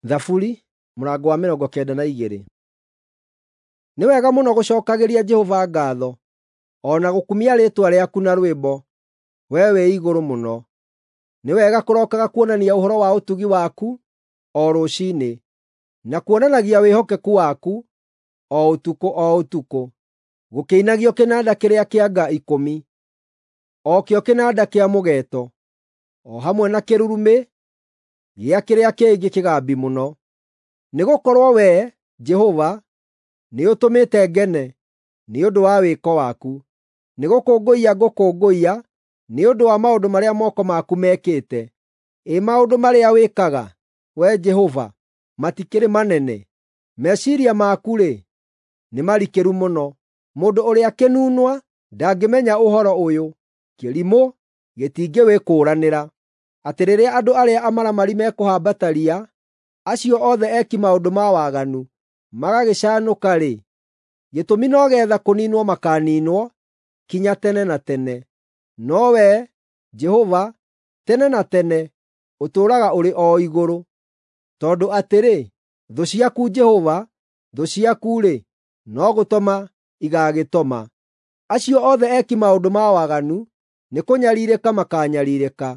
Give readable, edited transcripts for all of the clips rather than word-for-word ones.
Thaburi mũrango wa 92. Nĩ wega mũno gũcookagĩria Jehova ngaatho, o na gũkumia rĩĩtwa rĩaku na rwĩmbo, Wee Wĩ-Igũrũ-Mũno. Nĩ wega kũrookaga kuonania ũhoro wa ũtugi waku o rũciinĩ, na kuonanagia wĩhokeku waku o ũtukũ o ũtukũ, gũkĩinagio kĩnanda kĩrĩa kĩa nga ikũmi, o kĩo kĩnanda kĩa mũgeeto, o hamwe na kĩrurumĩ gĩa kĩrĩa kĩngĩ kĩgambi mũno. Nĩgũkorwo Wee, Jehova, nĩũtũmĩte ngene nĩ ũndũ wa wĩko waku; nĩgũkũngũiya ngũkũngũiya nĩ ũndũ wa maũndũ marĩa moko maku mekĩte. Ĩ maũndũ marĩa wĩkaga, Wee Jehova, matikĩrĩ manene! Meciiria maku-rĩ, nĩ marikĩru mũno. Mũndũ ũrĩa kĩnunwa ndangĩmenya ũhoro ũyũ, kĩrimũ gĩtingĩwĩkũũranĩra, atĩ rĩrĩa andũ arĩa amaramari mekũhamba ta riya, acio othe eki maũndũ ma waganu magagĩcanũka-rĩ, gĩtũmi no geetha kũniinwo makaaniinwo kinya tene na tene. No Wee, Jehova, tene na tene ũtũũraga ũrĩ o igũrũ. Tondũ atĩrĩ, thũ ciaku Jehova, thũ ciaku-rĩ, no gũtoma igaagĩtoma. Acio othe eki maũndũ ma waganu nĩkũnyariirĩka makaanyariirĩka.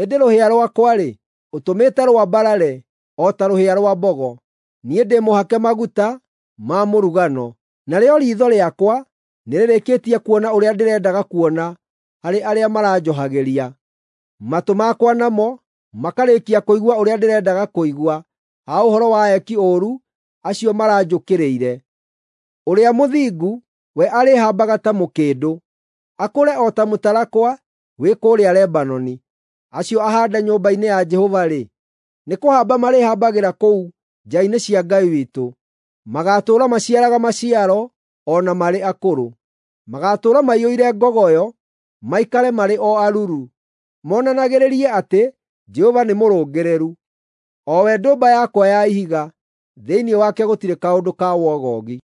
Ĩndĩ rũhĩa rwakwa-rĩ, ũtũmĩte rwambarare o ta rũhĩa rwa mbogo. Niĩ ndĩ mũhake maguta ma mũrugano, narĩo riitho rĩakwa nĩrĩrĩkĩtie kuona ũrĩa ndĩrendaga kuona harĩ arĩa maranjohagĩria. Matũ makwa namo makarĩkia kũigua ũrĩa ndĩrendaga kũigua ha ũhoro wa eki ũũru acio maranjũkĩrĩire. Ũrĩa mũthingu we arĩhambaga ta mũkĩndũ, akũre o ta mũtarakwa wĩ kũrĩa Lebanoni. Acio ahaande nyũmba-inĩ ya Jehova-rĩ, nĩkũhamba marĩhambagĩra kũu nja-inĩ cia Ngai witũ. Magaatũũra maciaraga maciaro o na marĩ akũrũ. Magaatũũra maiyũire ngogoyo, maikare marĩ o aruru, monanagĩrĩrie atĩ Jehova nĩ mũrũngĩrĩru, o we ndũmba yakwa ya ihiga, thĩinĩ wake gũtirĩ kaũndũ ka wogogi.